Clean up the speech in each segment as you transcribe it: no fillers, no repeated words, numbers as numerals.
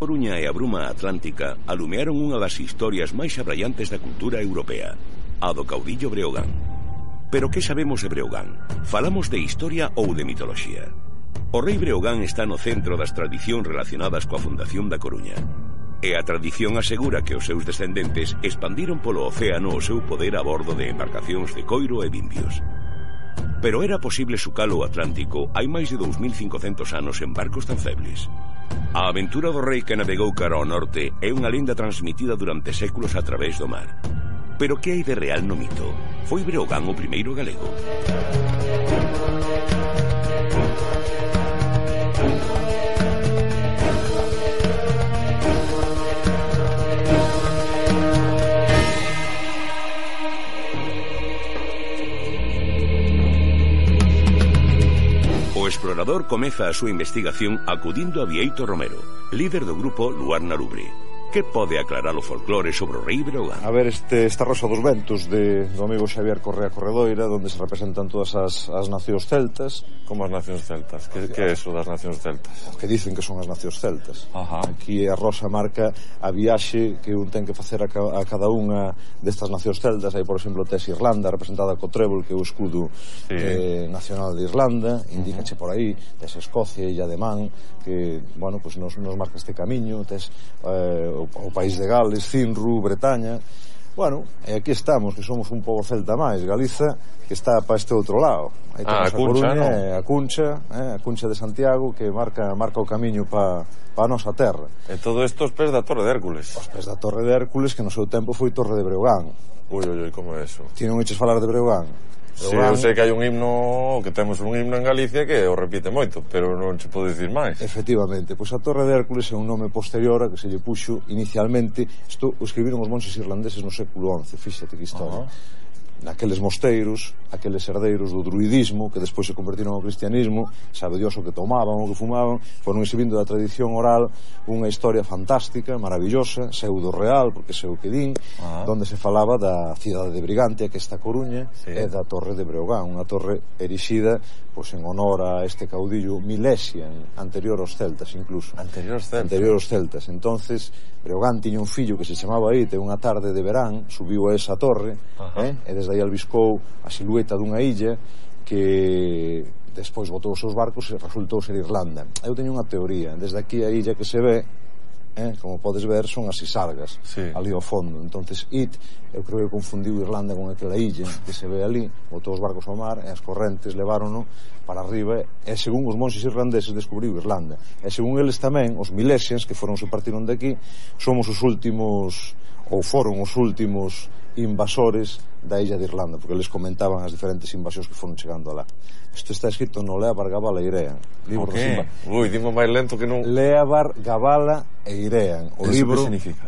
Coruña e a bruma atlántica alumearon unha das historias máis abraiantes da cultura europea, a do caudillo Breogán. Pero que sabemos de Breogán? Falamos de historia ou de mitoloxía? O rei Breogán está no centro das tradicións relacionadas coa fundación da Coruña. E a tradición asegura que os seus descendentes expandiron polo océano o seu poder a bordo de embarcacións de coiro e vimbios. Pero era posible sucar o Atlántico hai máis de 2500 anos en barcos tan febles. A aventura do rei que navegou cara ao norte é unha lenda transmitida durante séculos a través do mar. Pero que hai de real no mito? Foi Breogán o primeiro galego? O explorador comeza a súa investigación acudindo a Bieito Romero, líder do grupo Luar na Lubre. Que pode aclarar o folclore sobre o rei Breogán? A ver, esta Rosa dos Ventos do amigo Xavier Correa Corredoira, onde se representan todas as nacións celtas. Como as nacións celtas? Que é eso das nacións celtas? Que dicen que son as nacións celtas. Ajá. Aquí a Rosa marca a viaxe que un ten que facer a cada unha destas nacións celtas. Aí, por exemplo, tes Irlanda, representada co trébol, que é o escudo nacional de Irlanda, indícache por aí. Tes Escocia, Illa de Man, que, bueno, pues nos marca este camiño. Tes o país de Gales, Cinru, Bretaña. Bueno, e aquí estamos, que somos un pobo celta máis. Galiza, que está para este outro lado. Aí temos a Cuncha, Coruña, ¿no? a Cuncha de Santiago, que marca o camiño para a nosa terra. E todo isto os pés da Torre de Hércules. Os pés da Torre de Hércules, que no seu tempo foi Torre de Breogán. Ui, como é eso? Ti non eches falar de Breogán? Si, eu sei que hai un himno, que temos un himno en Galicia que o repite moito, pero non se pode dicir máis. Efectivamente, pois a Torre de Hércules é un nome posterior a que se lle puxo inicialmente. Isto o escribiron os monxes irlandeses no século XI, fíxate que historia. Naqueles mosteiros, aqueles herdeiros do druidismo, que despois se convertiron ao cristianismo, sabe Dios o que tomaban, o que fumaban, foron exhibindo da tradición oral unha historia fantástica, maravillosa, pseudo real, porque sei o que din, donde se falaba da cidade de Brigantia, que esta Coruña, e da Torre de Breogán, unha torre erixida pois en honor a este caudillo Milesian, anterior aos celtas incluso. Anterior aos celtas. Entonces Breogán tiña un fillo que se chamaba Ite, unha tarde de verán subiu a esa torre, e desde aí albiscou a silueta dunha illa que despois botou os seus barcos e resultou ser Irlanda. Eu teño unha teoría, desde aquí a illa que se ve, como podes ver, son as Sisargas, ali ao fondo. Entonces eu creo que confundiu Irlanda con aquela illa que se ve ali, botou os barcos ao mar e as correntes levárono para arriba, e según os monxes irlandeses descubriu Irlanda, e según eles tamén os Milesians, que se partiron de aquí, somos os últimos, ou foron os últimos invasores da illa de Irlanda, porque eles comentaban as diferentes invasións que foron chegando alá. Isto está escrito no Leabar, Gabala e Irean, libro Ui, dimo máis lento que non. Leabar, Gabala e Irean, o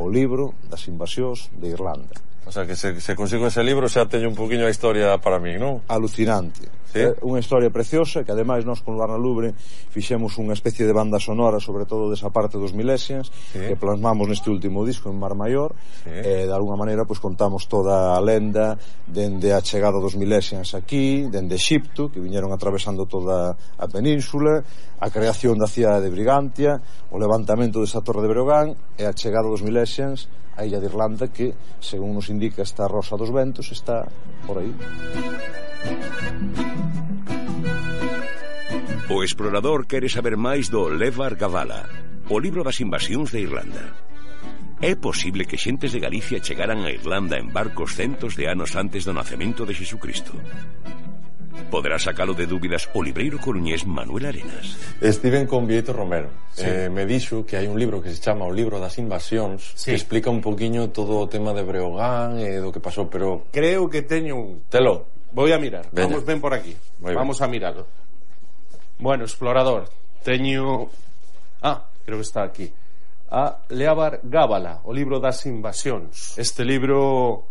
libro das invasións de Irlanda. O sea, que se consigo ese libro xa teño un poquinho a historia para mí, non? Alucinante. Unha historia preciosa, que ademais nós con Luar na Lubre fixemos unha especie de banda sonora, sobre todo desa parte dos Milesians, que plasmamos neste último disco en Mar Maior, e de alguna maneira pois contamos toda a lenda dende a chegada dos Milesians aquí, dende Exipto, que viñeron atravesando toda a península, a creación da cidade de Brigantia, o levantamento desa Torre de Breogán e a chegada dos Milesians a illa de Irlanda, que, según nos indica esta Rosa dos Ventos, está por aí. O explorador quere saber máis do Levar Gabala, o libro das invasións de Irlanda. É posible que xentes de Galicia chegaran a Irlanda en barcos centos de anos antes do nacemento de Xesucristo? Poderá sacalo de dúbidas o libreiro coruñés Manuel Arenas. Estiven con Bieito Romero, me dixo que hai un libro que se chama O libro das invasións, que explica un poquinho todo o tema de Breogán e do que pasou, pero creo que teño un... Telo. Voy a mirar, vamos ben por aquí. Vamos a mirarlo. Bueno, explorador, teño... creo que está aquí. A Leabar Gabala, o libro das invasións. Este libro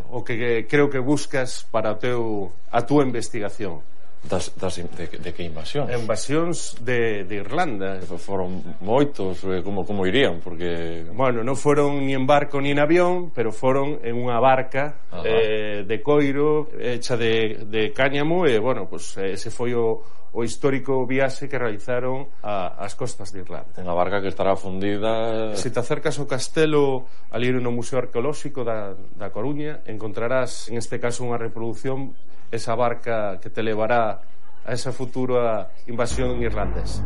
o que creo que buscas para a túa investigación. De que invasións? Invasións de Irlanda. Foron moitos, como irían? Porque... Bueno, non foron ni en barco ni en avión, pero foron en unha barca de coiro hecha de cáñamo, e bueno, pues ese foi o o histórico viaxe que realizaron ás costas de Irlanda. Unha barca que estará fundida... Se te acercas ao castelo ali no Museo Arqueolóxico da Coruña, encontrarás en este caso unha reproducción, esa barca que te levará a esa futura invasión irlandesa.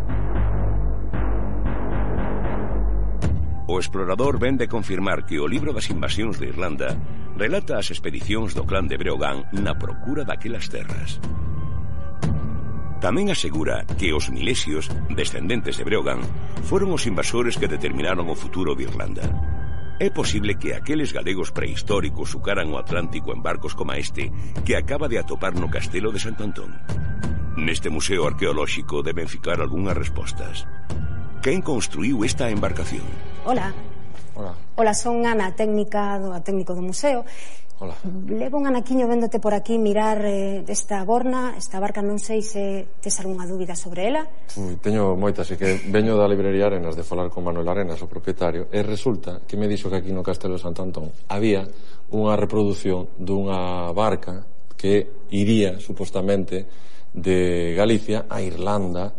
O explorador ven de confirmar que o libro das invasións de Irlanda relata as expedicións do clán de Breogán na procura daquelas terras. Tamén asegura que os milesios, descendentes de Breogán, foron os invasores que determinaron o futuro de Irlanda. É posible que aqueles galegos prehistóricos sucaran o Atlántico en barcos como este que acaba de atopar no castelo de Sant Antón. Neste museo arqueolóxico deben ficar algunhas respostas. Quen construiu esta embarcación? Hola. Hola, son Ana, técnico do museo. Hola. Levo un anaquiño véndote por aquí mirar esta borna, esta barca, non sei se tes algunha dúbida sobre ela. Teño moitas, e que veño da librería Arenas de falar con Manuel Arenas, o propietario, e resulta que me dixo que aquí no Castelo de Sant Antón había unha reproducción dunha barca que iría, supostamente, de Galicia a Irlanda,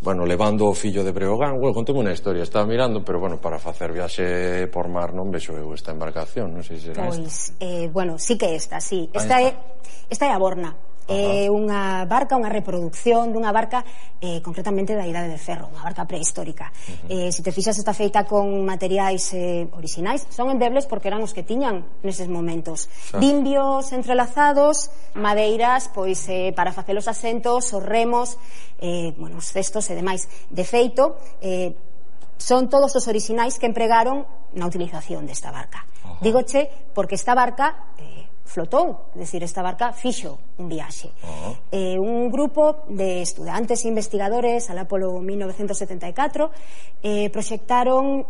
bueno, levando o fillo de Breogán. Bueno, conteme unha historia, estaba mirando, pero, bueno, para facer viaxe por mar non vexo eu esta embarcación, non sei se será esta. Pois, bueno, sí que esta, sí. Esta é a Borna. É unha barca, unha reproducción dunha barca concretamente da Idade de Ferro, unha barca prehistórica. Se te fixas, está feita con materiais orixinais, son endebles porque eran os que tiñan neses momentos. Vimbios entrelazados, madeiras pois para facer os asentos, os remos, bueno, os cestos e demais. De feito, son todos os orixinais que empregaron na utilización desta barca. Dígoche porque esta barca flotou, é dicir, esta barca fixo un viaxe. Un grupo de estudantes e investigadores alá polo 1974 proxectaron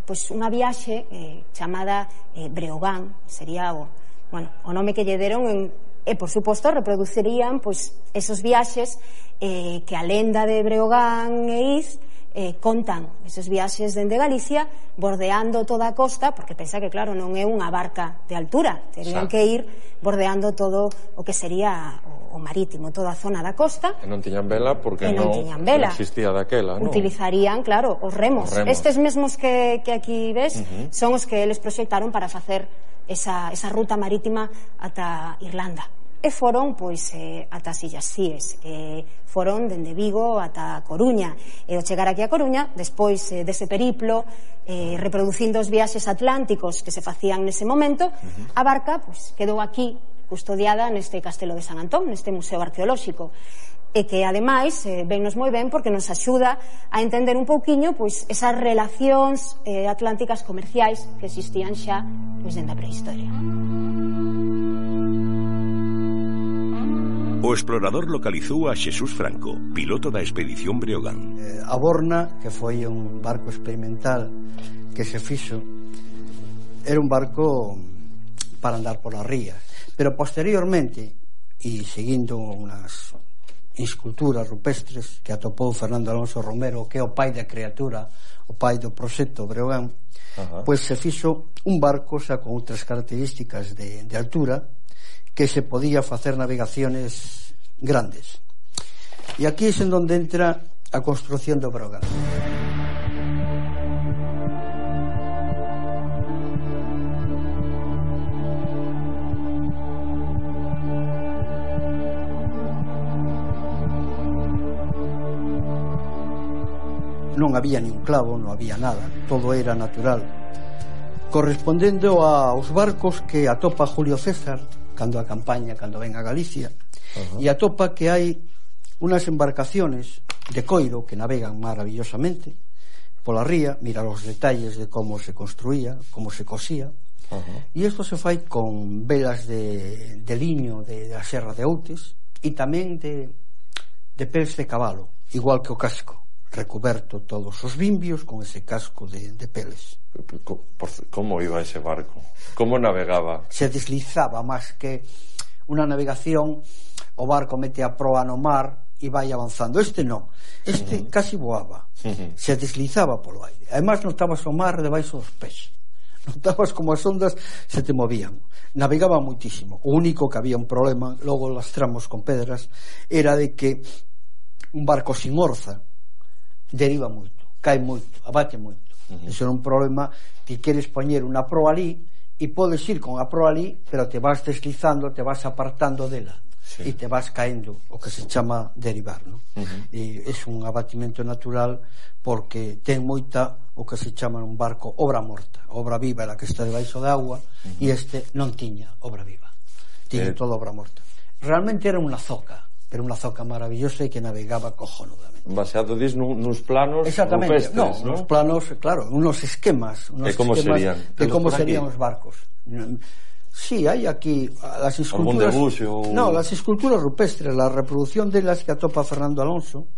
pois unha viaxe chamada Breogán, sería o nome que lle deron, e por suposto reproducirían pois esos viaxes que a lenda de Breogán e Iz contan, esos viaxes dende Galicia bordeando toda a costa, porque pensa que claro, non é unha barca de altura, terían que ir bordeando todo o que sería o marítimo, toda a zona da costa, e non tiñan vela porque non existía daquela, non? Utilizarían, claro, os remos. Estes mesmos que aquí ves son os que eles proxectaron para facer esa ruta marítima ata Irlanda. E foron, pois, ata as Illas Cíes, foron dende Vigo ata Coruña, e ao chegar aquí a Coruña, despois dese periplo, reproducindo os viaxes atlánticos que se facían nese momento, a barca, pois, quedou aquí, custodiada neste Castelo de Sant Antón, neste museo arqueolóxico, e que, ademais, vennos moi ben porque nos axuda a entender un pouquiño, pois, esas relacións atlánticas comerciais que existían xa, pois, dende a prehistoria. O explorador localizou a Xesús Franco, piloto da expedición Breogán. A Borna, que foi un barco experimental que se fixo, era un barco para andar pola ría, pero posteriormente, e seguindo unhas esculturas rupestres que atopou Fernando Alonso Romero, que é o pai da criatura, o pai do proxecto Breogán, pois se fixo un barco xa con outras características de altura, que se podía facer navegaciones grandes. E aquí é en donde entra a construción do Breogán. Non había ni un clavo, non había nada, todo era natural, correspondendo aos barcos que atopa Julio César cando a campaña, cando ven a Galicia, e atopa que hai unas embarcaciones de coiro que navegan maravillosamente pola ría, mira os detalles de como se construía, como se cosía, e isto se fai con velas de liño da Serra de Outes e tamén de peles de cabalo, igual que o casco, recuberto todos os vimbios con ese casco de peles. Como iba ese barco? Como navegaba? Se deslizaba, máis que unha navegación, o barco mete a proa no mar e vai avanzando. Este non, este casi voaba, se deslizaba polo aire. Ademais notabas o mar debaixo dos pés, notabas como as ondas se te movían, navegaba muitísimo. O único que había un problema, logo lastramos con pedras, era de que un barco sin orza deriva moito, cae moito, abate moito. Ese é un problema. Ti queres poñer unha proa ali e podes ir con a proa ali, pero te vas deslizando, te vas apartando dela e te vas caendo, o que se chama derivar, non? E é un abatimento natural porque ten moita o que se chama un barco obra morta. Obra viva era que está debaixo de agua e este non tiña obra viva, tiña toda obra morta. Realmente era unha zoca, pero unha zoca maravillosa e que navegaba cojonudamente. Baseado nuns planos rupestres, non? Nos planos, claro, unos esquemas de como serían os barcos. Sí, hai aquí las esculturas. No, las esculturas rupestres, la reproducción delas que atopa Fernando Alonso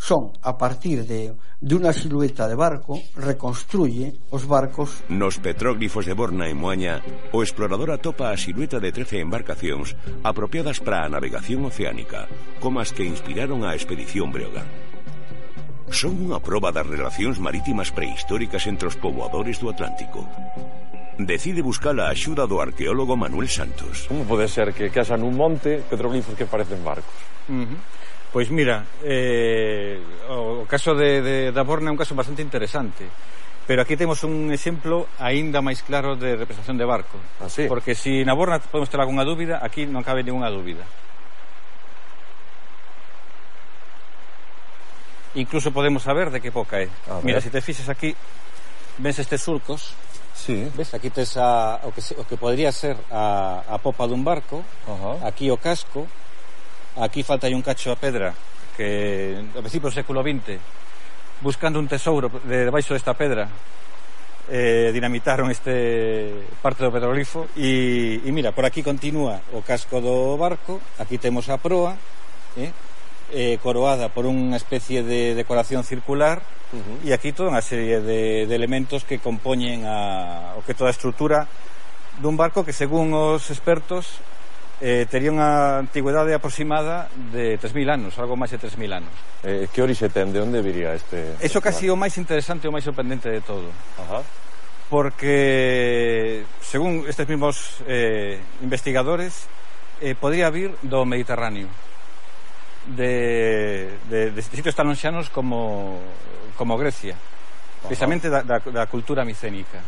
son a partir de unha silueta de barco, reconstruye os barcos. Nos petróglifos de Borna e Moaña, o explorador atopa a silueta de 13 embarcacións apropiadas para a navegación oceánica, como as que inspiraron a expedición Breogán. Son unha proba das relacións marítimas prehistóricas entre os poboadores do Atlántico. Decide buscar a axuda do arqueólogo Manuel Santos. Como pode ser que haxa nun monte petroglifos que parecen barcos? Pois mira, o caso da Borna é un caso bastante interesante, pero aquí temos un exemplo aínda máis claro de representación de barco. Porque se na Borna podemos ter algunha dúbida, aquí non cabe ninguna dúbida. Incluso podemos saber de que época é. Mira, se te fixes aquí, ves estes surcos. Ves, aquí tes o que podría ser a popa dun barco. Aquí o casco. Aquí falta aí un cacho a pedra que a principios do século XX, buscando un tesouro debaixo desta pedra, dinamitaron parte do petroglifo e mira, por aquí continúa o casco do barco. Aquí temos a proa coroada por unha especie de decoración circular, e aquí toda unha serie de elementos que compoñen o que toda a estrutura dun barco que, según os expertos, tería unha antigüedade aproximada de 3.000 anos, algo máis de 3.000 anos. Que orixe ten? De onde viría este? Eso casi o máis interesante e o máis sorprendente de todo. Porque, según estes mesmos investigadores, podría vir do Mediterráneo, de sitios tan lonxanos como Grecia, precisamente da cultura micénica.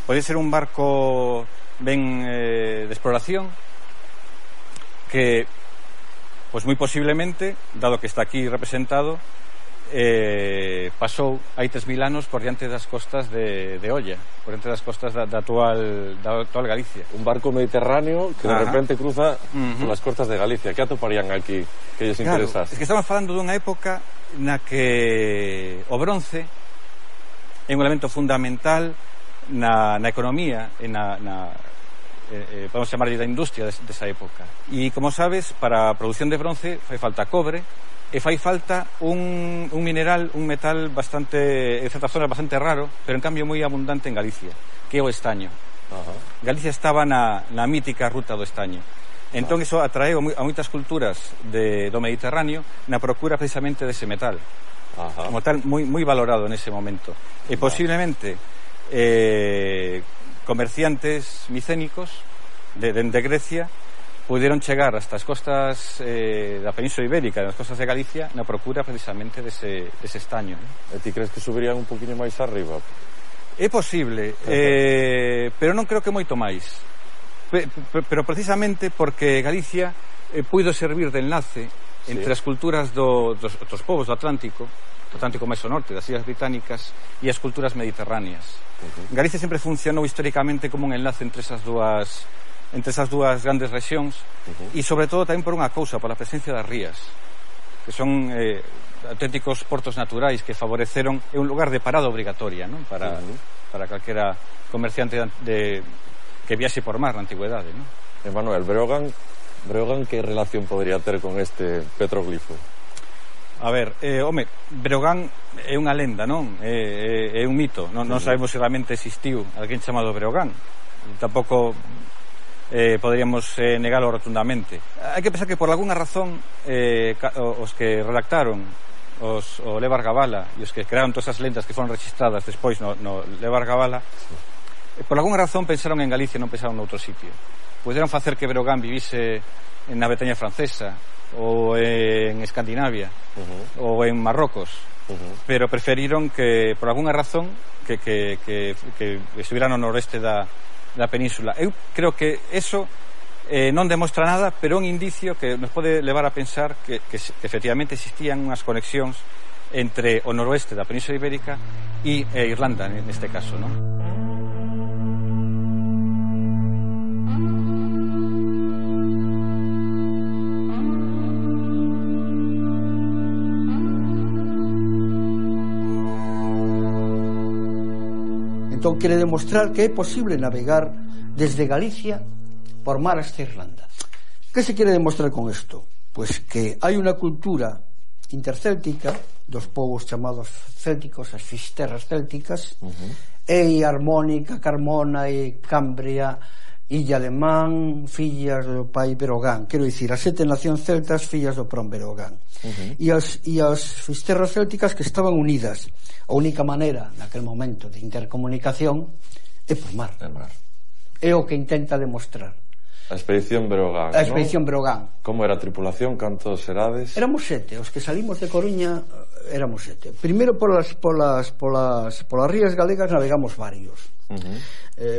Pode ser un barco ben de exploración que, pois moi posiblemente, dado que está aquí representado, pasou hai 3.000 anos por diante das costas de Olla, por diante das costas da actual Galicia. Un barco mediterráneo que de repente cruza polas costas de Galicia. Que atoparían aquí que lles interesase? Es que estamos falando dunha época na que o bronce é un elemento fundamental na economía e podemos chamarlle da industria desa época. E, como sabes, para a produción de bronce fai falta cobre e fai falta un mineral, un metal bastante, en certas zonas bastante raro, pero en cambio moi abundante en Galicia, que é o estaño. Galicia estaba na mítica ruta do estaño. Entón iso atraeu a moitas culturas do Mediterráneo na procura precisamente dese metal. Como tal, moi valorado nese momento. E posiblemente comerciantes micénicos de Grecia puderon chegar hasta as costas da Península Ibérica, das costas de Galicia, na procura precisamente dese estaño. E ti crees que subirían un poquinho máis arriba? É posible, pero non creo que moito máis. Pero precisamente porque Galicia puido servir de enlace entre as culturas dos povos do Atlántico máis ao norte, das Illas Británicas, e as culturas mediterráneas. Galicia sempre funcionou históricamente como un enlace entre esas dúas grandes rexións, e sobre todo tamén por unha cousa, por a presencia das rías, que son auténticos portos naturais que favoreceron, é un lugar de parada obrigatoria, non? Para calquera comerciante que viaxe por mar na antigüedade, non? Manuel, Breogán, que relación podría ter con este petroglifo? A ver, Breogán é unha lenda, non? É un mito, non sabemos se realmente existiu alguén chamado Breogán. Tampouco poderíamos negalo rotundamente. Hai que pensar que por algunha razón os que redactaron o Levar Gabala e os que crearon todas as lendas que foron registradas despois no Levar Gabala, por algunha razón pensaron en Galicia e non pensaron noutro sitio. Poderon facer que Breogán vivise na Bretaña francesa ou en Escandinavia ou en Marrocos, pero preferiron que, por algunha razón, que estuviera no noroeste da península. Eu creo que eso non demostra nada, pero é un indicio que nos pode levar a pensar que efectivamente existían unhas conexións entre o noroeste da Península Ibérica e Irlanda, neste caso, non? Entón quere demostrar que é posible navegar desde Galicia por mar hasta Irlanda. Que se quere demostrar con isto? Pois que hai unha cultura intercéltica dos povos chamados célticos, as fisterras célticas, e Harmónica, Carmona e Cambria, Illa de Man, fillas do pai Breogán, quero dicir, as 7 nacións celtas fillas do prón Breogán, e as fisterras célticas que estaban unidas. A única maneira naquel momento de intercomunicación é por mar. É o que intenta demostrar a expedición Breogán. A expedición Breogán. Como era a tripulación? Cantos serades? Éramos 7, os que salimos de Coruña éramos 7. Primeiro polas rías galegas navegamos varios.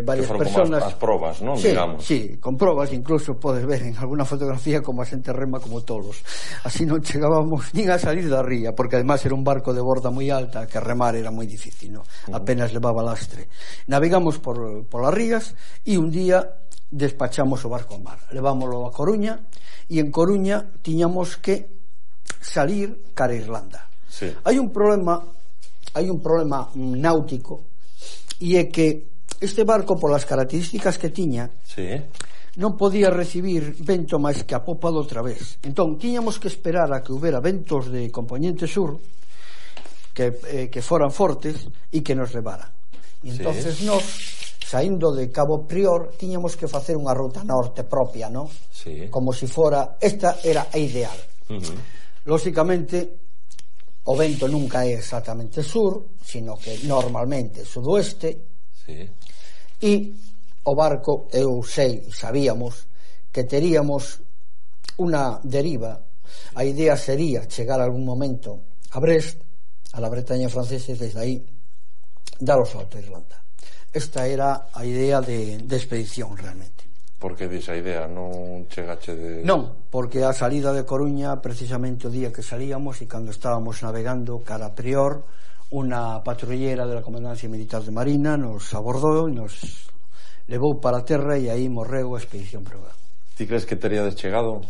Varias personas, as probas, non? Sí, digamos. Sí, con probas, incluso podes ver en alguna fotografía como a xente rema como tolos. Así non chegábamos nin a salir da ría, porque además era un barco de borda moi alta, que remar era moi difícil, ¿no? Apenas levaba lastre. Navegamos por las rías e un día despachamos o barco ao mar. Levámoslo a Coruña e en Coruña tiñamos que salir cara a Irlanda. Sí. Hai un problema náutico, e é que este barco, polas características que tiña, non podía recibir vento máis que a popa do través. Entón, tiñamos que esperar a que houbera ventos de componente sur que foran fortes e que nos levaran. E entonces nos, saindo de Cabo Prior, tiñamos que facer unha ruta norte propia, non? Como se fora, esta era a ideal. Lóxicamente, o vento nunca é exactamente sur, sino que normalmente sudoeste, e o barco, sabíamos que teríamos unha deriva. A idea sería chegar algún momento a Brest, a la Bretaña francesa, e desde aí dar o salto a Irlanda. Esta era a idea de expedición realmente. Por que dixa idea? Non chegache de... Non, porque a salida de Coruña, precisamente o día que salíamos e cando estábamos navegando cara a Prior, unha patrullera de la Comandancia Militar de Marina nos abordou e nos levou para a terra, e aí morreu a expedición Breogán. Ti crees que teríades chegado?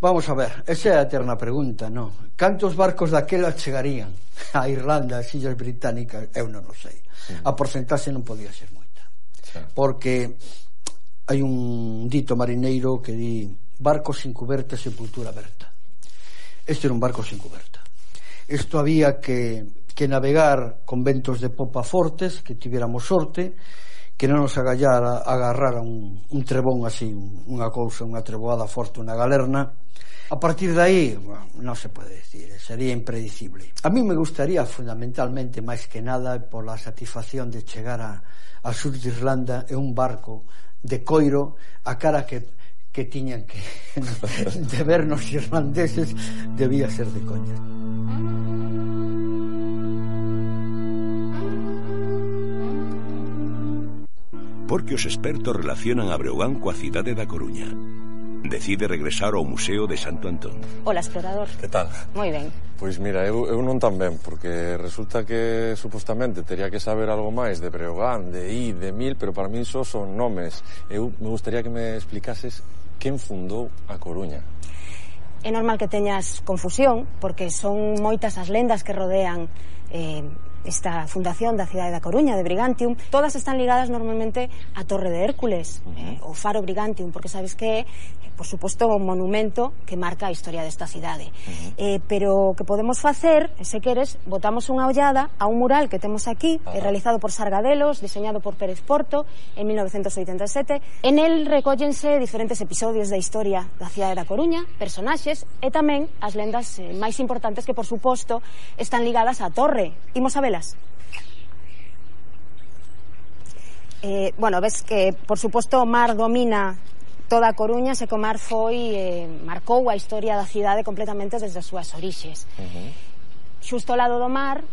Vamos a ver, esa é a eterna pregunta, non? Cantos barcos daquela chegarían a Irlanda, as Illas Británicas? Eu non o sei. A porcentaxe non podía ser moita, porque hai un dito marineiro que di: barco sin cuberta, sepultura aberta. Este era un barco sin cuberta. Isto había que navegar con ventos de popa fortes, que tiveramos sorte, que non nos agarrara un trebón así, unha cousa, unha treboada forte, unha galerna. A partir de aí, non se pode decir, sería impredecible. A mí me gustaría fundamentalmente, máis que nada, pola satisfacción de chegar a sur de Irlanda en un barco de coiro, a cara que tiñan que de vernos irlandeses debía ser de coña. Porque os expertos relacionan a Breogán coa cidade da Coruña. Decide regresar ao Museo de Santo Antón. Hola, explorador. Que tal? Moi ben. Pois mira, eu non tan ben, porque resulta que supostamente tería que saber algo máis de Breogán, de Mil, pero para mí só son nomes. Eu me gustaría que me explicases quen fundou a Coruña. É normal que teñas confusión, porque son moitas as lendas que rodean esta fundación da cidade da Coruña, de Brigantium. Todas están ligadas normalmente á Torre de Hércules, o Faro Brigantium, porque sabes que é, por suposto, un monumento que marca a historia desta cidade. Pero o que podemos facer, se queres, botamos unha ollada a un mural que temos aquí, realizado por Sargadelos, diseñado por Pérez Porto en 1987. En el recóllense diferentes episodios da historia da cidade da Coruña, personaxes e tamén as lendas máis importantes que, por suposto, están ligadas á torre. Imos a velas. Bueno, ves que, por suposto, o mar domina toda a Coruña se comar marcou a historia da cidade completamente desde as súas orixes. Xusto ao lado do mar,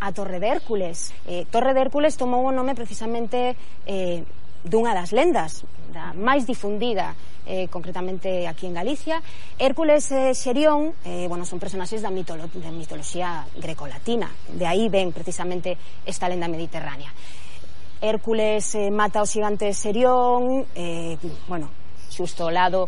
a Torre de Hércules. Torre de Hércules tomou o nome precisamente dunha das lendas, da máis difundida concretamente aquí en Galicia. Hércules e Xerión son personaxes da mitoloxía grecolatina, de aí ven precisamente esta lenda mediterránea. Hércules mata o xigante Xerión, xusto ao lado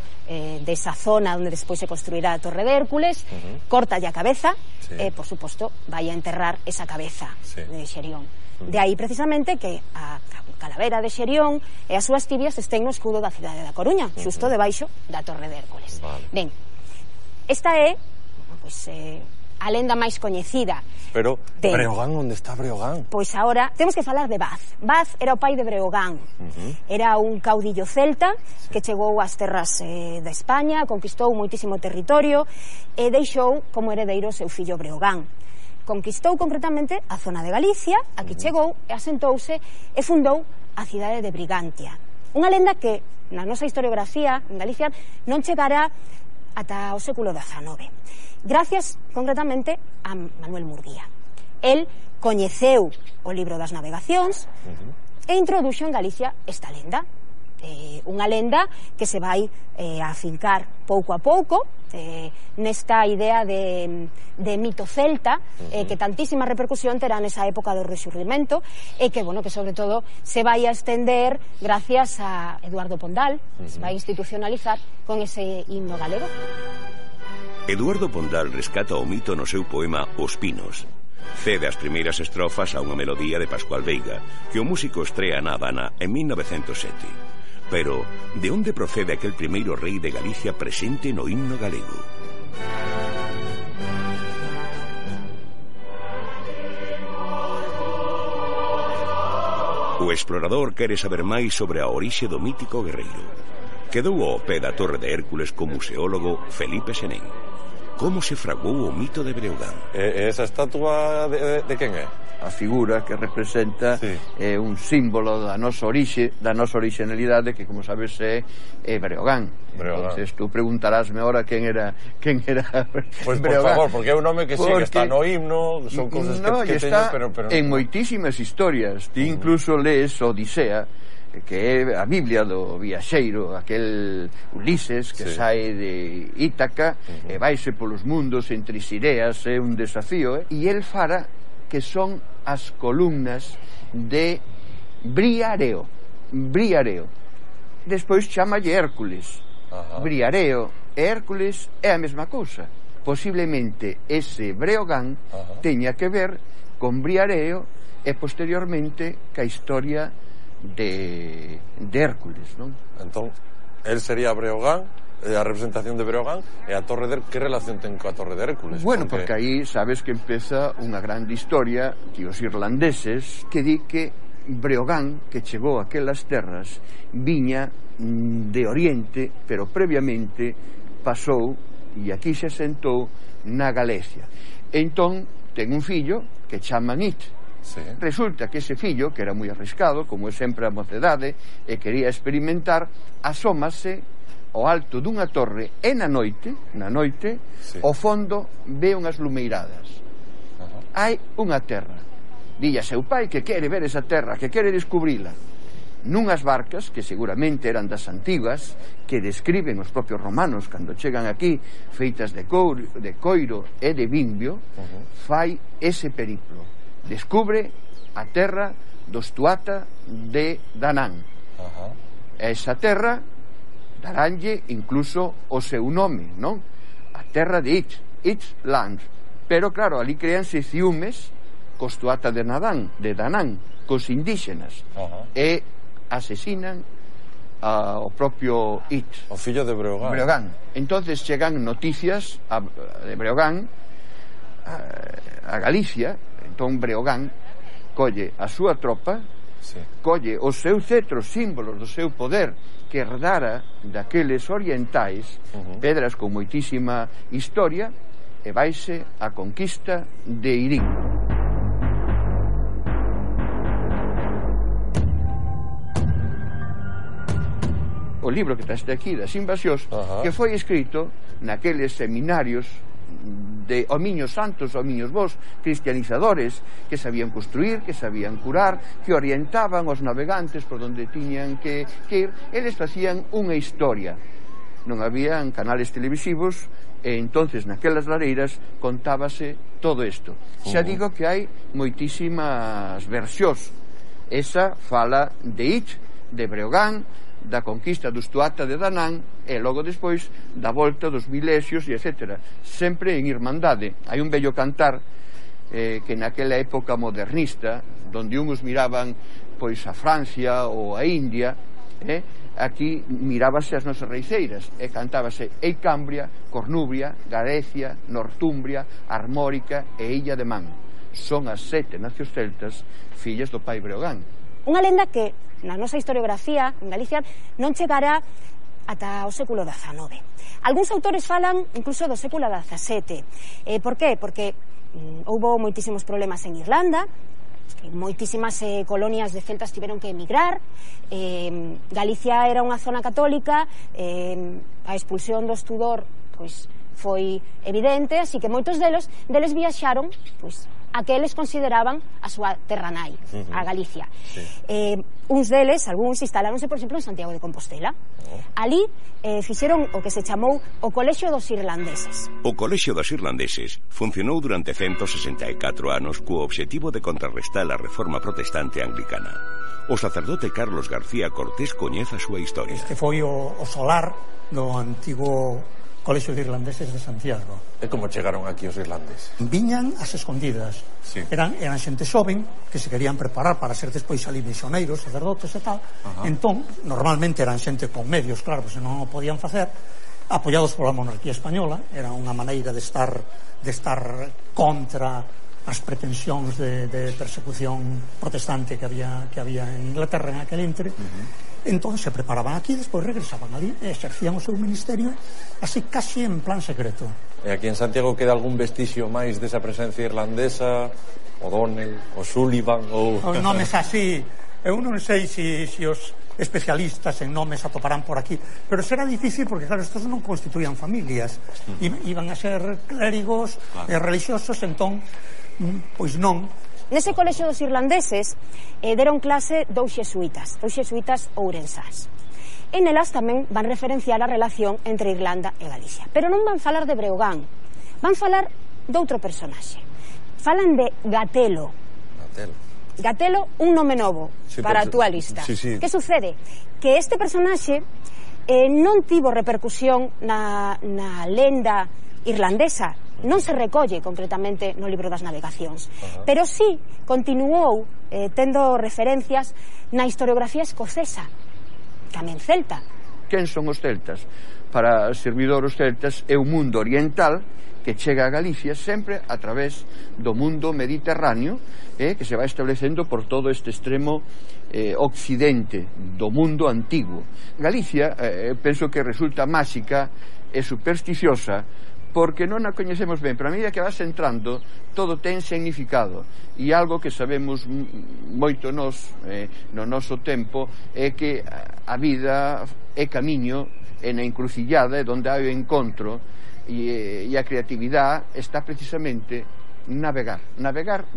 desa zona onde despois se construirá a Torre de Hércules, cortalle a cabeza e, por suposto, vai a enterrar esa cabeza de Xerión. De aí precisamente que a calavera de Xerión e as súas tibias estén no escudo da cidade da Coruña, xusto debaixo da Torre de Hércules. Ben, esta é a lenda máis coñecida. Pero Breogán, onde está Breogán? Pois agora temos que falar de Baz. Baz era o pai de Breogán. Era un caudillo celta que chegou ás terras de España, conquistou moitísimo territorio e deixou como heredeiro o seu fillo Breogán. Conquistou concretamente a zona de Galicia, aquí chegou e asentouse e fundou a cidade de Brigantia. Unha lenda que na nosa historiografía en Galicia non chegará ata o século XIX, gracias concretamente a Manuel Murguía. El coñeceu o libro das navegacións e introduxo en Galicia esta lenda. Unha lenda que se vai afincar pouco a pouco nesta idea de mito celta que tantísima repercusión terá nesa época do Rexurdimento e que sobre todo se vai a estender gracias a Eduardo Pondal, se vai institucionalizar con ese himno galego. Eduardo Pondal rescata o mito no seu poema Os Pinos. Cede as primeiras estrofas a unha melodía de Pascual Veiga que o músico estrea na Habana en 1907. Pero, de onde procede aquel primeiro rei de Galicia presente no himno galego? O explorador quere saber máis sobre a orixe do mítico guerreiro. Quedou ao pé da Torre de Hércules co museólogo Felipe Senén. Como se fraguou o mito de Breogán? Esa estatua de quen é? A figura que representa un símbolo da nosa orixe, da nosa orixinalidade, que, como sabes, é Breogán. Entonces, tú preguntarásme ahora quen era Pois, por favor, porque é un nome que sí, que está no himno, son cousas que teño, pero en moitísimas historias. Ti incluso lees Odisea, que é a Biblia do viaxeiro, aquel Ulises que sae de Ítaca e vaise polos mundos entre Sireas, é un desafío, e el fara que son as columnas de Briareo. Despois chamalle Hércules. Briareo e Hércules é a mesma cousa. Posiblemente ese Breogán teña que ver con Briareo e posteriormente ca historia de Hércules, non? Entón, el sería Breogán, a representación de Breogán, e a Torre de Hércules, que relación ten coa Torre de Hércules? Bueno, porque aí sabes que empeza unha grande historia que os irlandeses que di que Breogán, que chegou a aquelas terras, viña de Oriente, pero previamente pasou e aquí se asentou na Galicia. Entón, ten un fillo que chaman It. Resulta que ese fillo, que era moi arriscado, como é sempre a mocedade, e quería experimentar, asómase ao alto dunha torre e na noite, ao fondo ve unhas lumeiradas. Hai unha terra. Dille a seu pai que quere ver esa terra, que quere descubrila. Nunhas barcas, que seguramente eran das antigas, que describen os propios romanos cando chegan aquí, feitas de coiro e de vimbio, fai ese periplo. Descubre a terra dos Tuata de Danán. Esa terra daranlle incluso o seu nome, non? A terra de It's Land. Pero claro, ali créanse ciúmes cos Tuata de Danán, cos indígenas, e asesinan ao propio It, o fillo de Breogán. Entonces chegan noticias de Breogán a Galicia. Entón Breogán colle a súa tropa, colle os seus cetros, símbolos do seu poder que herdara daqueles orientais, pedras con moitísima historia, e vaise a conquista de Irín. O libro que traste aquí das invasións, que foi escrito naqueles seminarios de homiños santos, homiños vos, cristianizadores, que sabían construir, que sabían curar, que orientaban os navegantes por onde tiñan que ir. Eles facían unha historia. Non habían canales televisivos, e entonces naquelas lareiras contábase todo isto. Xa digo que hai moitísimas versións. Esa fala de Ich, de Breogán, da conquista do Estuata de Danán, e logo despois da volta dos Milesios, e etc. Sempre en irmandade. Hai un bello cantar que naquela época modernista, donde uns miraban pois a Francia ou a India, aquí mirábase as nosas reiceiras e cantábase Eicambria, Cornubria, Garecia, Northumbria, Armórica e Illa de Man. Son as 7 nacións celtas fillas do pai Breogán. Unha lenda que na nosa historiografía en Galicia non chegará ata o século XIX. Algúns autores falan incluso do século XVII. Por qué? Porque houbo moitísimos problemas en Irlanda, moitísimas colonias de celtas tiveron que emigrar, Galicia era unha zona católica, a expulsión dos Tudor pois foi evidente, así que moitos deles viaxaron pois a que eles consideraban a súa terra nai, a Galicia. Uns deles, algúns, instaláronse, por exemplo, en Santiago de Compostela. Ali fixeron o que se chamou o Colexio dos Irlandeses. O Colexio dos Irlandeses funcionou durante 164 anos co obxectivo de contrarrestar a reforma protestante anglicana. O sacerdote Carlos García Cortés coñece a súa historia. Este foi o solar do antigo Colexio de Irlandeses de Santiago. E como chegaron aquí os irlandeses? Viñan as escondidas. Sí. Eran xente xoven que se querían preparar para ser despois ali misioneiros, sacerdotes e tal. Entón, normalmente eran xente con medios, claro, se non o podían facer, apoiados pola monarquía española. Era unha maneira de estar contra as pretensións de persecución protestante que había en Inglaterra en aquel intre. Entón se preparaban aquí, despois regresaban ali e exercían o seu ministerio así casi en plan secreto. E aquí en Santiago queda algún vestigio máis desa presencia irlandesa? O'Donnell, o Sullivan ou... Os nomes así, eu non sei se os especialistas en nomes atoparán por aquí, pero será difícil porque claro, estos non constituían familias, iban a ser clérigos religiosos, entón pois non. Nese colexio dos irlandeses deron clase dous xesuítas ourensás. E nelas tamén van referenciar a relación entre Irlanda e Galicia. Pero non van falar de Breogán, van falar de outro personaxe. Falan de Gatelo. Gatelo, un nome novo para a túa lista. Que sucede? Que este personaxe non tivo repercusión na lenda irlandesa, non se recolle concretamente no libro das navegacións, pero sí continuou tendo referencias na historiografía escocesa, tamén celta. Quen son os celtas? Para o servidor os celtas é o mundo oriental que chega a Galicia sempre a través do mundo mediterráneo, que se vai establecendo por todo este extremo occidente do mundo antigo. Galicia penso que resulta máxica e supersticiosa porque non a coñecemos ben, pero a medida que vas entrando todo ten significado, e algo que sabemos moito nos no noso tempo é que a vida é camiño, é na encrucillada, é onde hai o encontro, e a creatividade está precisamente navegar,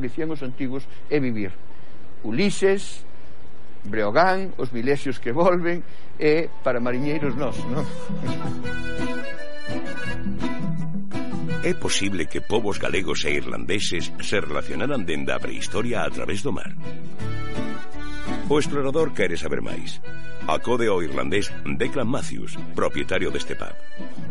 dicían os antigos, é vivir. Ulises, Breogán, os Milesios que volven, e para mariñeiros nós, non? É posible que povos galegos e irlandeses se relacionaran dende a prehistoria a través do mar. O explorador quere saber máis. Acode ao irlandés Declan Matthews, propietario deste pub.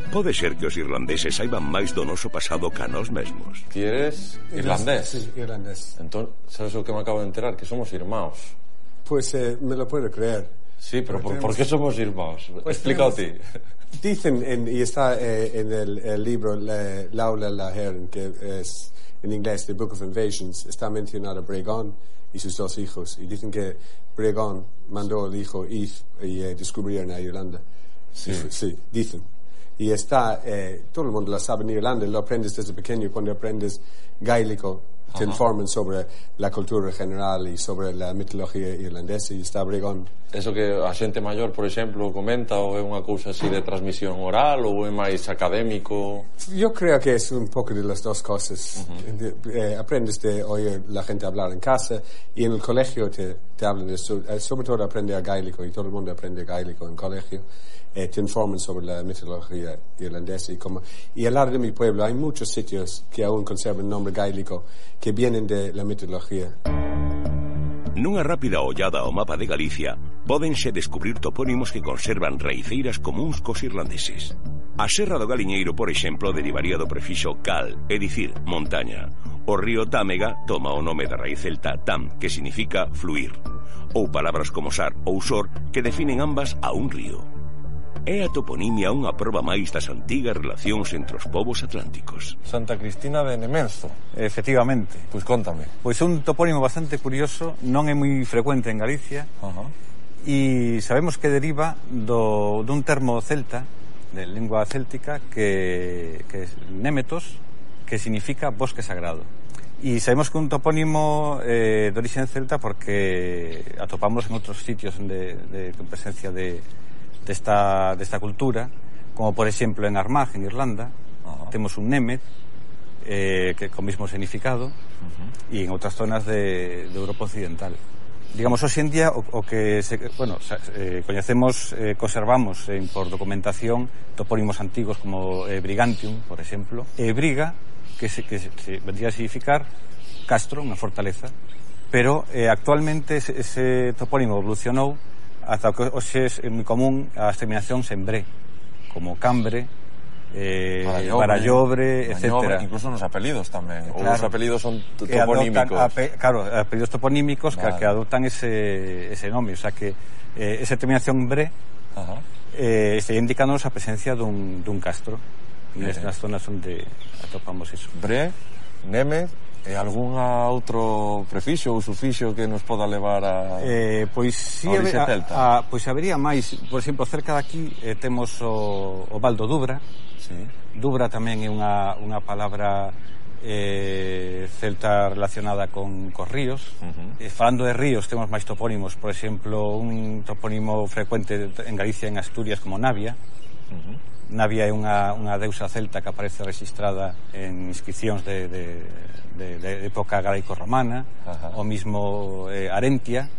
Pode ser que os irlandeses saiban máis do noso pasado ca nós mesmos. Ti eres irlandés? Sí, irlandés. Entón, sabes o que me acabo de enterar? Que somos irmãos. Pues me lo puedo creer. Sí, pero ¿por qué somos irmãos? Pues explícalo ti. Dicen, y está en el libro Laula Lahern, que es en inglés The Book of Invasions, está mencionado Breogán y sus dos hijos, y dicen que Breogán mandó al hijo Eve y descubrieron a Irlanda. Sí, dicen. Y está, todo el mundo lo sabe en Irlanda, lo aprendes desde pequeño cuando aprendes gaélico te informan sobre la cultura general e sobre la mitología irlandesa e está Bregón. Eso que a xente maior, por exemplo, comenta, ou é unha cousa así de transmisión oral ou é máis académico? Yo creo que es un poco de las dos cosas. Aprendes de oír la gente hablar en casa y en el colegio te hablan de eso. Sobre todo aprende a gaélico y todo el mundo aprende gaélico en colegio. Te informan sobre la mitología irlandesa y al lado de mi pueblo hay muchos sitios que aún conservan el nombre gaélico que vienen de la mitología. Nunha rápida ollada ao mapa de Galicia pódense descubrir topónimos que conservan raiceiras comuns cos irlandeses. A Serra do Galiñeiro, por exemplo, derivaría do prefixo cal, é dicir, montaña. O río Támega toma o nome da raíz celta tam, que significa fluir. Ou palabras como sar ou sor, que definen ambas a un río. É a toponimia unha proba máis das antigas relacións entre os povos atlánticos. Santa Cristina de Nemenzo. Efectivamente. Pois contame. Pois un topónimo bastante curioso, non é moi frecuente en Galicia, e sabemos que deriva dun termo celta, de lingua céltica, que é Németos, que significa bosque sagrado. E sabemos que un topónimo de origen celta porque atopamos en outros sitios de presencia desta cultura, como por exemplo en Armagh, en Irlanda, temos un Német que con mismo significado, e en outras zonas de Europa Occidental. Digamos, hoxe en día o que coñecemos, conservamos por documentación topónimos antigos como Brigantium, por exemplo, e Briga, que vendría a significar castro, unha fortaleza, pero actualmente ese topónimo evolucionou ata que hoxe é moi común as terminacións en bre, como Cambre, Barallobre, etc. Incluso nos apelidos tamén. Claro, os apelidos son toponímicos. Claro, apelidos toponímicos que adoptan ese nome. O sea que esa terminación bre está indicándonos a presencia dun castro nas zonas onde atopamos iso. Bre, Némez, e algún outro prefixo ou sufixo que nos poda levar a pois si pois habería máis. Por exemplo, cerca de aquí temos o Val do Dubra. Dubra tamén é unha palabra celta relacionada con ríos. Falando de ríos, temos máis topónimos. Por exemplo, un topónimo frecuente en Galicia, en Asturias, como Navia. Navia é unha deusa celta que aparece registrada en inscripcións de época galaico-romana. O mismo Arentia,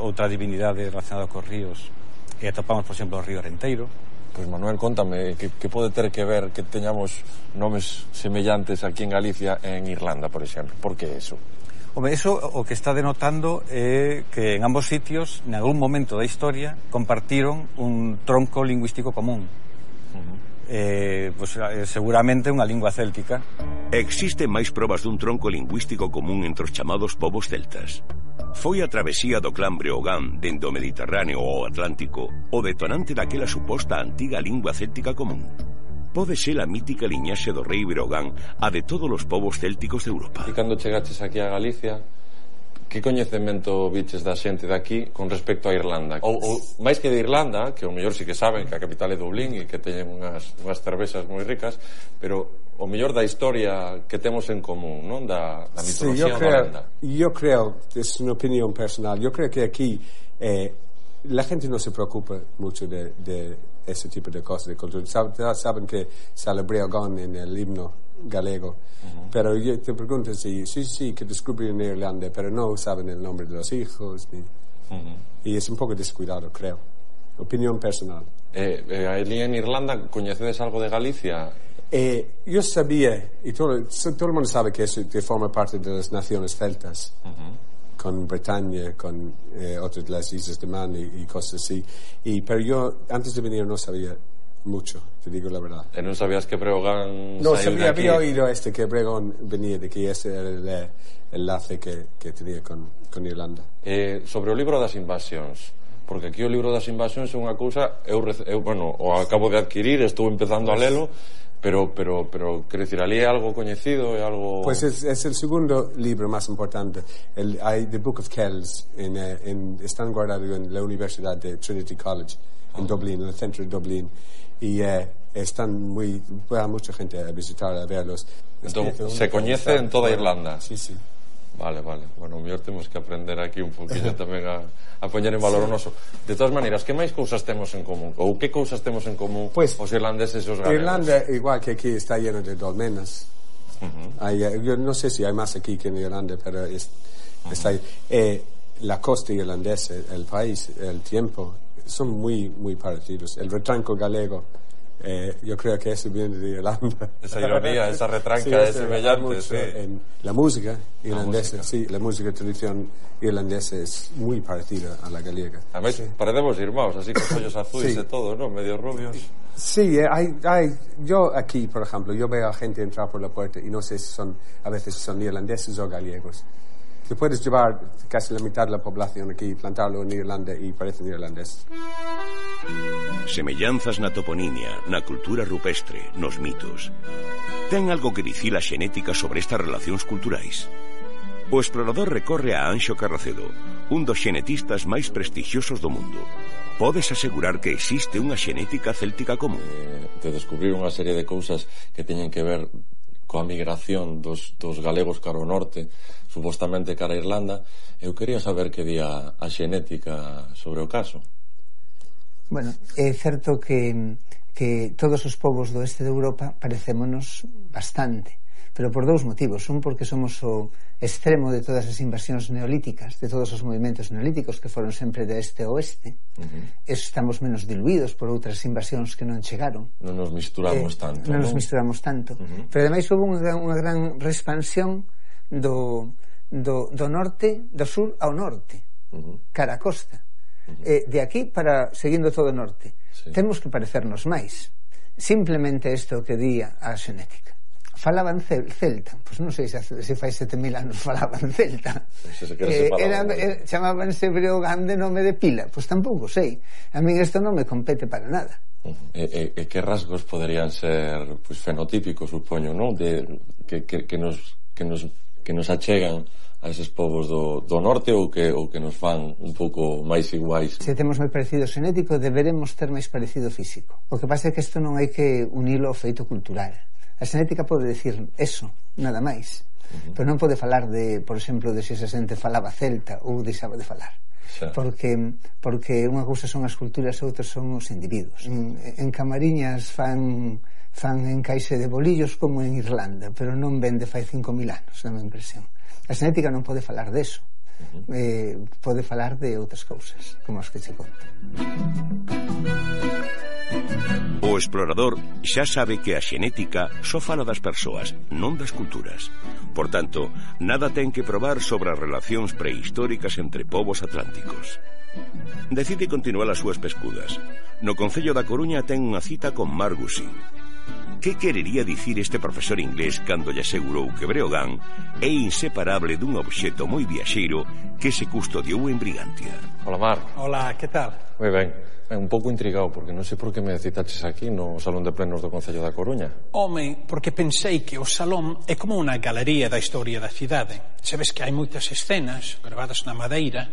outra divinidade relacionada cos ríos, e atopamos, por exemplo, o río Arenteiro. Pois Manuel, contame, que pode ter que ver que teñamos nomes semellantes aquí en Galicia e en Irlanda, por exemplo? Por que eso? Home, eso o que está denotando é que en ambos sitios, en algún momento da historia, compartiron un tronco lingüístico común. Seguramente unha lingua céltica. Existen máis probas dun tronco lingüístico común entre os chamados povos celtas. Foi a travesía do clan Breogán dende o Mediterráneo ao Atlántico o detonante daquela suposta antiga lingua céltica común. Pode ser a mítica liñaxe do rei Breogán a de todos os povos célticos de Europa. E cando chegaches aquí a Galicia, que coñecemento viches da xente daqui con respecto a Irlanda? Ou máis que de Irlanda, que o mellor sí que saben que a capital é Dublín e que teñen unhas cervezas moi ricas, pero o mellor da historia que temos en común, non? Da mitología holanda. Yo creo, es una opinión personal, yo creo que aquí la gente no se preocupa mucho de ese tipo de cosas de cultura. Saben que sale Breogán en el himno galego, pero yo te pregunto si sí que descubrieron en Irlanda, pero no saben el nombre de los hijos y es un poco descuidado, creo. Opinión personal. Allí en Irlanda coñecedes algo de Galicia? Yo sabía, y todo el mundo sabe que eso forma parte de las naciones celtas, con Bretaña, con otras de las islas de Man y cosas así, pero yo antes de venir no sabía mucho, te digo la verdad. ¿No sabías que Breogán no sabía, había oído que Breogán venía de que ese era el enlace que tenía con Irlanda. Sobre o libro das invasións, porque aquí o libro das invasións é unha cousa eu o acabo de adquirir, estou empezando a lelo, pero quero dicir, ali é algo coñecido, é algo... Pues es el segundo libro más importante. Hay The Book of Kells están guardados en la Universidad de Trinity College en Dublín, en el centro de Dublín, y va mucha gente a visitar, a verlos. Entón, se coñece en toda Irlanda. Sí. Vale. Bueno, mellor temos que aprender aquí un poquinho tamén a poñer en valor o noso. De todas maneiras, que máis cousas temos en común? Ou que cousas temos en común os irlandeses e os galegos? Irlanda, igual que aquí, está lleno de dolmenas. Yo no sé si hay más aquí que en Irlanda, pero está ahí. La costa irlandesa, el país, el tiempo, son muy, muy parecidos. El retranco galego, yo creo que eso viene de Irlanda. Esa ironía, esa retranca es semejante, sí. En la música irlandesa, la música tradición irlandesa es muy parecida a la galega. A mí parecemos irmãos, así con ollos azules y todo, ¿no? Medio rubios. Sí, yo aquí, por ejemplo, yo veo a gente entrar por la puerta y no sé si a veces son irlandeses o gallegos. Te puedes llevar casi la mitad de la población aquí, plantarlo en Irlanda y parecen irlandeses. Semellanzas na toponimia, na cultura rupestre, nos mitos. Ten algo que dicir a xenética sobre estas relacións culturais? O explorador recorre a Anxo Carracedo, un dos xenetistas máis prestixiosos do mundo. Podes asegurar que existe unha xenética céltica común? De descubrir unha serie de cousas que teñen que ver coa migración dos galegos cara ao norte, supostamente cara a Irlanda. Eu quería saber que día a xenética sobre o caso. Bueno, é certo que todos os povos do oeste de Europa parecémonos bastante, pero por dous motivos. Un, porque somos o extremo de todas as invasións neolíticas, de todos os movimentos neolíticos que foron sempre de este a oeste. Estamos menos diluídos por outras invasións que non chegaron. Non nos misturamos tanto. Non nos misturamos tanto. Pero ademais houve unha gran expansión do norte, do sur ao norte, cara a costa. De aquí para seguindo todo o norte. Temos que parecernos máis. Simplemente isto que di a xenética. Falaban celta, pois non sei se fai 7.000 anos falaban celta. Chamábanse Breogán de nome de pila, pois tampouco sei. A min isto non me compete para nada. E que rasgos poderían ser fenotípicos, supoño, non? Que nos achegan a eses povos do norte ou que nos fan un pouco máis iguais. Se temos moi parecido xenético, deberemos ter máis parecido físico. O que pasa é que isto non hai que unilo ao feito cultural. A xenética pode decir eso, nada máis, pero non pode falar de, por exemplo, de se esa xente falaba celta ou deixaba de falar. Porque unha cousa son as culturas e outras son os individuos. En Camariñas fan encaixe de bolillos como en Irlanda, pero non vende fai 5.000 anos, dá a impresión. A xenética non pode falar deso, pode falar de outras cousas, como as que che conto. O explorador xa sabe que a xenética só fala das persoas, non das culturas. Por tanto, nada ten que probar sobre as relacións prehistóricas entre povos atlánticos. Decide continuar as súas pescudas. No Concello da Coruña ten unha cita con Mark Gusing. Que querería dicir este profesor inglés cando lle asegurou que Breogán é inseparable dun obxecto moi viaxeiro que se custodiou en Brigantia? Hola, Marc. Hola, que tal? Moi ben. Un pouco intrigado, porque non sei por que me citaches aquí no Salón de Plenos do Concello da Coruña. Home, porque pensei que o salón é como unha galería da historia da cidade. Sabes que hai moitas escenas gravadas na madeira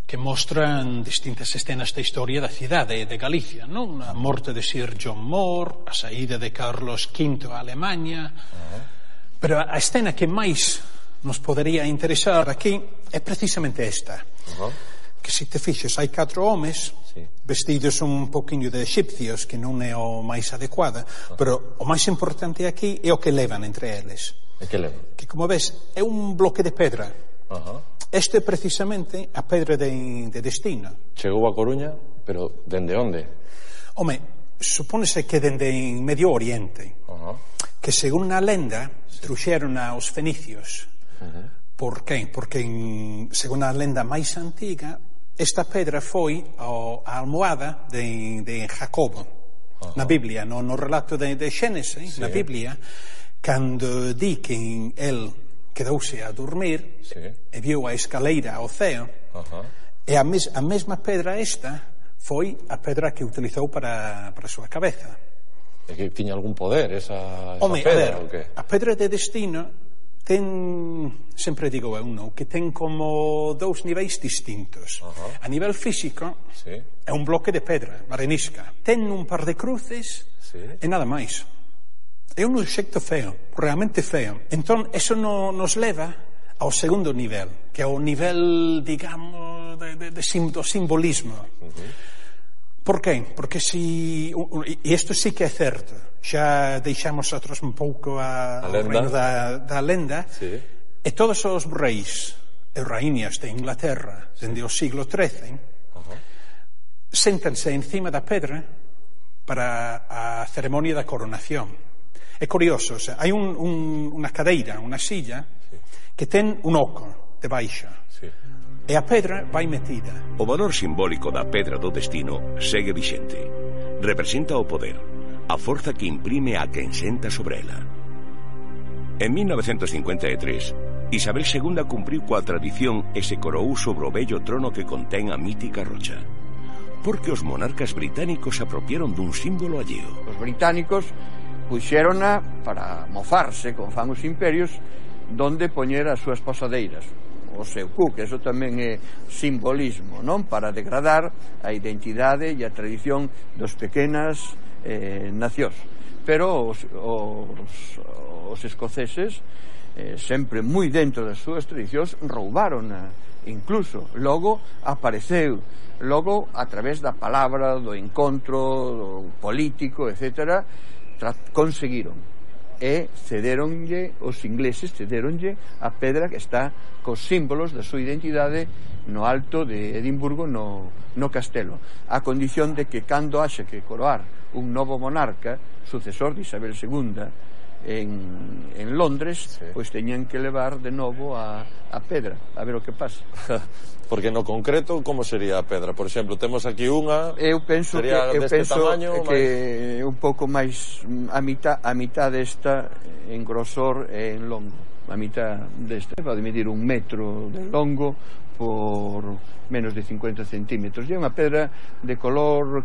que mostran distintas escenas da historia da cidade de Galicia, non? A morte de Sir John Moore, a saída de Carlos V a Alemanha. Pero a escena que máis nos podería interesar aquí é precisamente esta. Que se te fixes, hai 4 homes vestidos un poquinho de egipcios, que non é o máis adecuada, pero o máis importante aquí é o que levan entre eles. E que levan? Que, como ves, é un bloque de pedra. Este é precisamente a pedra de destino. Chegou a Coruña, pero dende onde? Home, supónese que dende Medio Oriente, que según a lenda truxeron aos fenicios. Por que? Porque según a lenda máis antiga, esta pedra foi a almohada de Jacobo na Biblia, no relato de Xénesis, na Biblia, cando di que el quedouse a dormir e viu a escaleira ao ceo, e a mesma pedra esta foi a pedra que utilizou para a súa cabeza. E que tiña algún poder esa Home, pedra? A pedra de destino sempre digo eu, non? Que ten como dous niveis distintos. A nivel físico, é un bloque de pedra, arenisca. Ten un par de cruces e nada máis. É un obxecto feo, realmente feo. Entón, eso nos leva ao segundo nivel, que é o nivel, digamos, do simbolismo. Por qué? Porque e isto sí que é certo, xa deixamos outros un pouco ao reino da lenda, e todos os reis e raíñas de Inglaterra dende o siglo XIII séntanse encima da pedra para a ceremonia da coronación. É curioso, hai unha cadeira, unha silla que ten un oco debaixo e a pedra vai metida. O valor simbólico da pedra do destino segue vixente. Representa o poder, a forza que imprime a quen senta sobre ela. En 1953, Isabel II cumpriu coa tradición e se coroou sobre o vello trono que contén a mítica rocha. Porque os monarcas británicos se apropiaron dun símbolo alleo. Os británicos puxérona para mofarse, como fan os imperios, donde poñer as súas posadeiras. O seu cu, que eso tamén é simbolismo, non? Para degradar a identidade e a tradición dos pequenas nacións. Pero os escoceses, sempre moi dentro das súas tradicións, roubaron incluso. Logo apareceu, logo a través da palabra, do encontro, do político, etc., conseguiron. E cederonlle, os ingleses cederonlle a pedra que está cos símbolos da súa identidade no alto de Edimburgo, no castelo, a condición de que cando haxe que coroar un novo monarca, sucesor de Isabel II en Londres, pois teñan que levar de novo a pedra, a ver o que pasa. Porque no concreto, como sería a pedra? Por exemplo, temos aquí unha, sería deste tamaño, que un pouco máis a mitad desta en grosor e en longo. A mitad desta pode medir 1 metro de longo por menos de 50 centímetros. E é unha pedra de color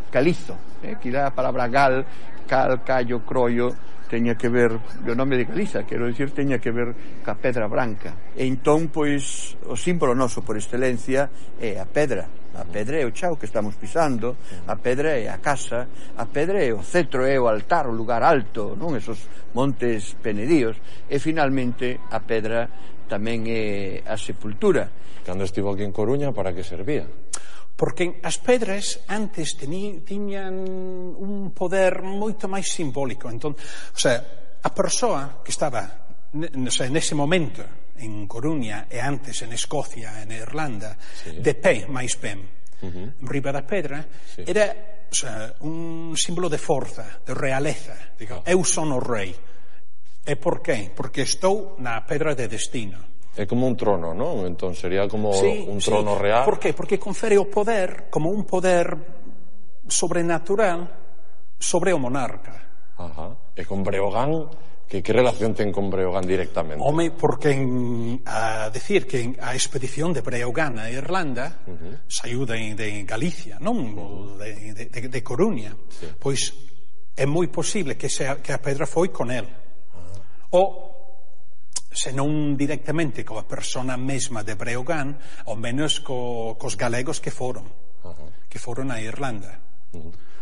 calizo, quizá a palabra cal, callo, croio, teña que ver, o nome de Galiza, quero dicir, teña que ver ca pedra branca. E entón, pois, o símbolo noso por excelencia é a pedra. A pedra é o chao que estamos pisando, a pedra é a casa, a pedra é o cetro, é o altar, o lugar alto, non? Esos montes penedíos. E finalmente a pedra tamén é a sepultura. Cando estivo aquí en Coruña, para que servía? Porque as pedras antes tiñan un poder moito máis simbólico. Entón, o sea, a persoa que estaba nese momento en Coruña e antes en Escocia, en Irlanda, de pé máis ben, riba da pedra, era, o sea, un símbolo de forza, de realeza. Digo, eu son o rei. E por qué? Porque estou na pedra de destino. É como un trono, non? Entón sería como un trono real. Por qué? Porque confere o poder como un poder sobrenatural sobre o monarca. E con Breogán, que relación ten con Breogán directamente? Home, porque a decir que a expedición de Breogán a Irlanda saiu de Galicia, non de Coruña. Pois é moi posible que a pedra foi con el. O se non directamente coa persona mesma de Breogán, ao menos cos galegos que foron a Irlanda.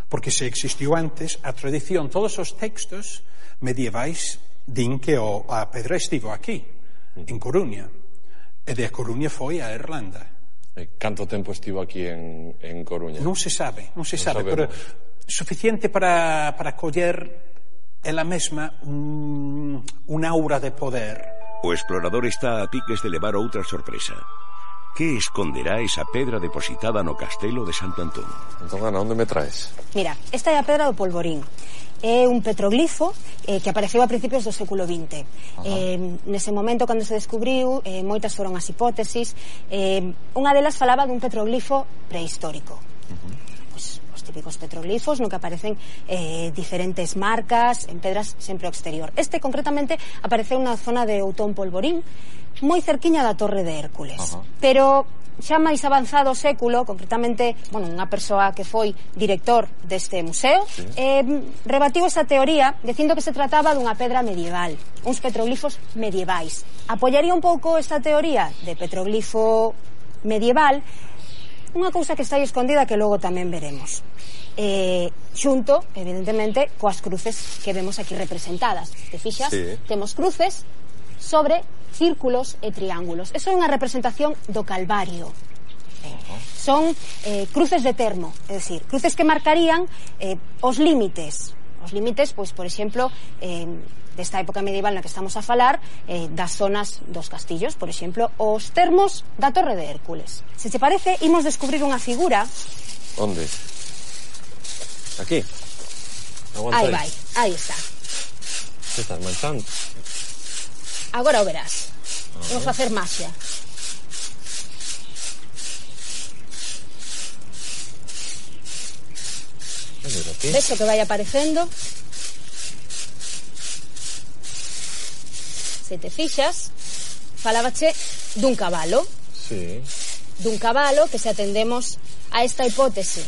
Porque se existiu antes a tradición, todos os textos medievais din que a pedra estivo aquí, en Coruña, e de Coruña foi a Irlanda. Canto tempo estivo aquí en Coruña? Non se sabe, pero suficiente para coller ela mesma un aura de poder. O explorador está a piques de levar outra sorpresa. Que esconderá esa pedra depositada no castelo de Santo Antón? Entón, Ana, onde me traes? Mira, esta é a pedra do Polvorín. É un petroglifo que apareceu a principios do século XX. Nese momento, cando se descubriu, moitas foron as hipótesis. Unha delas falaba dun petroglifo prehistórico. Pois, os típicos petroglifos no que aparecen diferentes marcas en pedras sempre ao exterior. Este concretamente apareceu na zona de Outón Polvorín, moi cerquiña da Torre de Hércules. Pero xa máis avanzado o século, concretamente, unha persoa que foi director deste museo, rebatiu esa teoría dicindo que se trataba dunha pedra medieval, uns petroglifos medievais. Apoiaría un pouco esta teoría de petroglifo medieval unha cousa que está aí escondida que logo tamén veremos. Xunto, evidentemente, coas cruces que vemos aquí representadas. Te fixas? Temos cruces sobre círculos e triángulos. Eso é unha representación do Calvario. Son cruces de termo, é dicir, cruces que marcarían os límites. Os límites, pois, por exemplo, desta época medieval na que estamos a falar, das zonas dos castillos, por exemplo, os termos da Torre de Hércules. Se te parece, imos descubrir unha figura. Onde? Aquí? Aí vai, aí está. Que estás manchando? Agora o verás. Vou facer maxia. Ves o que vai aparecendo? Se te fixas, falábache dun cabalo. Sí. Dun cabalo que, se atendemos a esta hipótese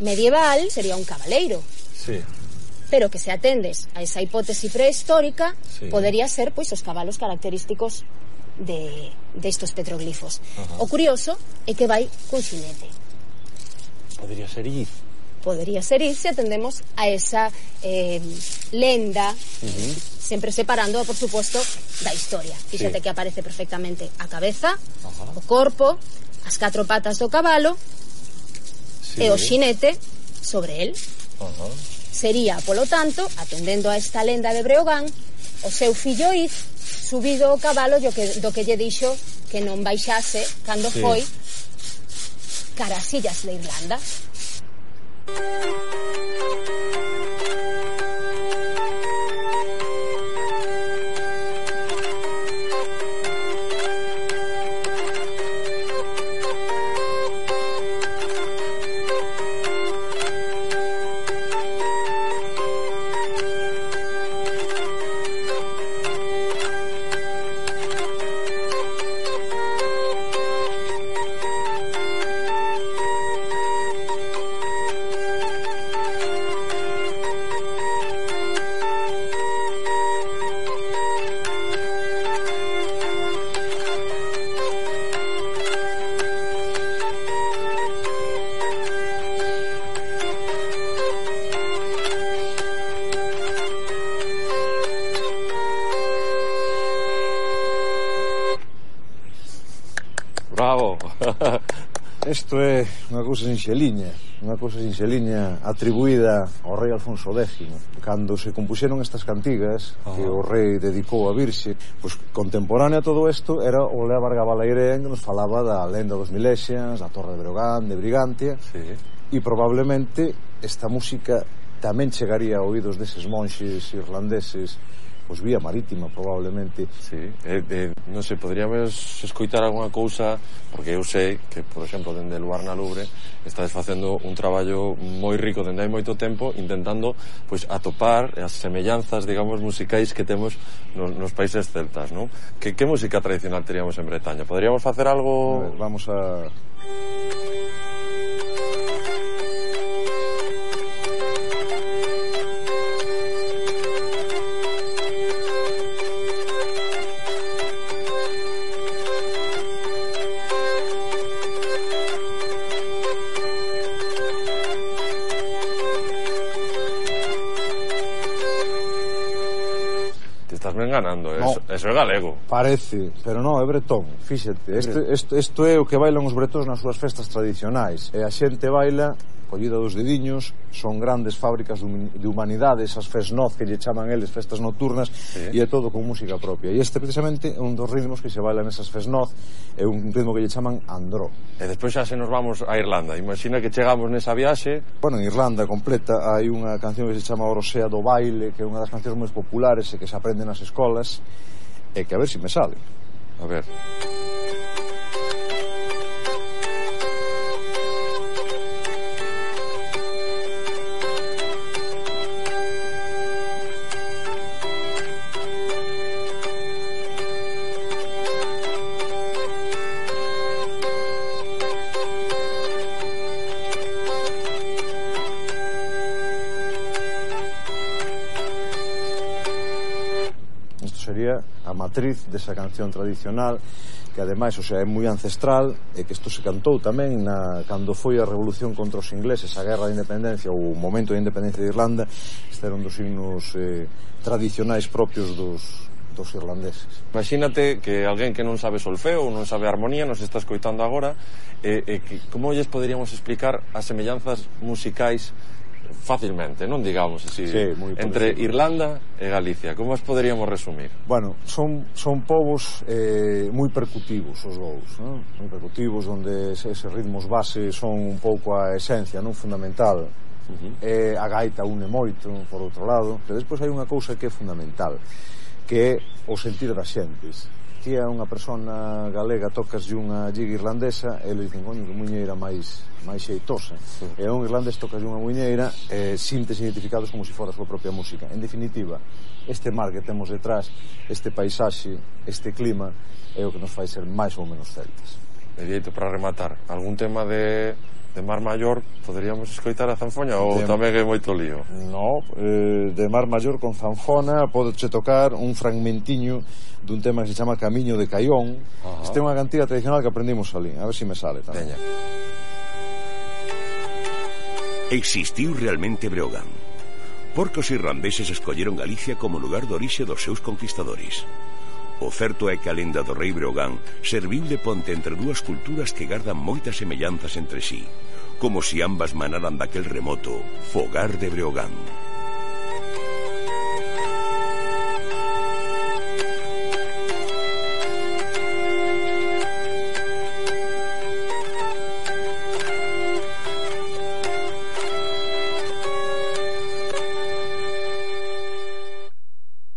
medieval, sería un cabaleiro. Sí. Pero que, se atendes a esa hipótese prehistórica, podería ser, pois, os cabalos característicos destos petroglifos. O curioso é que vai cun xinete. Podería ser ir. Podería ser ir se atendemos a esa lenda, sempre separando, por suposto, da historia. Fíxate que aparece perfectamente a cabeza, o corpo, as 4 patas do cabalo e o xinete sobre el. Sería, polo tanto, atendendo a esta lenda de Breogán, o seu fillo Iz subido ao cabalo do que lle dixo que non baixase cando foi cara as illas de Irlanda. Bravo. Isto é unha cousa sinxeliña atribuída ao rei Alfonso X. Cando se compuxeron estas cantigas que o rei dedicou á Virxe, pois contemporánea a todo isto era o Leabhar Gabalairén, que nos falaba da lenda dos Milexians, da Torre de Breogán, de Brigantia, e probablemente esta música tamén chegaría a oídos deses monxes irlandeses, pois vía marítima, probablemente. Non sei, poderíamos escoitar alguna cousa, porque eu sei que, por exemplo, dende Luar na Lubre estades facendo un traballo moi rico dende hai moito tempo, intentando pois atopar as semellanzas, digamos, musicais que temos nos países celtas, non? Que música tradicional teríamos en Bretaña? Poderíamos facer algo? Vamos a... Ganando, eso é galego. Parece, pero non, é bretón. Fíxate, isto é o que bailan os bretóns nas súas festas tradicionais. E a xente baila collida dos dediños, son grandes fábricas de humanidades, as fesnoz que lle chaman eles, festas nocturnas, e é todo con música propia. E este precisamente é un dos ritmos que se bailan nesas fesnoz, é un ritmo que lle chaman andró. E despois xa se nos vamos a Irlanda. Imagina que chegamos nesa viaxe. Bueno, en Irlanda completa hai unha canción que se chama Orosea do Baile, que é unha das cancións máis populares e que se aprende nas escolas, e que a ver se me sale. A ver. a matriz desa canción tradicional que ademais, o sea, é moi ancestral e que isto se cantou tamén cando foi a revolución contra os ingleses, a guerra de independencia ou o momento de independencia de Irlanda. Este era un dos himnos tradicionais propios dos irlandeses. Imagínate que alguén que non sabe solfeo ou non sabe armonía nos está escoitando agora, como lles poderíamos explicar as semellanzas musicais fácilmente, non digamos así, entre Irlanda e Galicia? Como as poderíamos resumir? Bueno, son povos moi percutivos os dous, non? Moi percutivos, onde eses ritmos base son un pouco a esencia, non, fundamental. A gaita une moito, por outro lado, pero despois hai unha cousa que é fundamental, que é o sentir das xentes. Ti é unha persona galega, tocas unha giga irlandesa e le dicen, coño, que muñeira máis xeitosa. E un irlandés tocas unha muñeira e sintes identificados como se fora a súa propia música. En definitiva, este mar que temos detrás, este paisaxe, este clima, é o que nos fai ser máis ou menos celtas. E dieito, para rematar, algún tema de Mar Maior poderíamos escoitar a zanfoña ou tamén é moito lío? No, de Mar Maior con zanfona podeche tocar un fragmentiño dun tema que se chama Camiño de Caión. Este é unha cantiga tradicional que aprendimos ali, a ver se me sale tamén. Existiu realmente Breogán, porque os irlandeses escolleron Galicia como lugar de orixe dos seus conquistadores. O certo é que a lenda do rei Breogán serviu de ponte entre dúas culturas que gardan moitas semellanzas entre sí, como si ambas manaran daquel remoto Fogar de Breogán.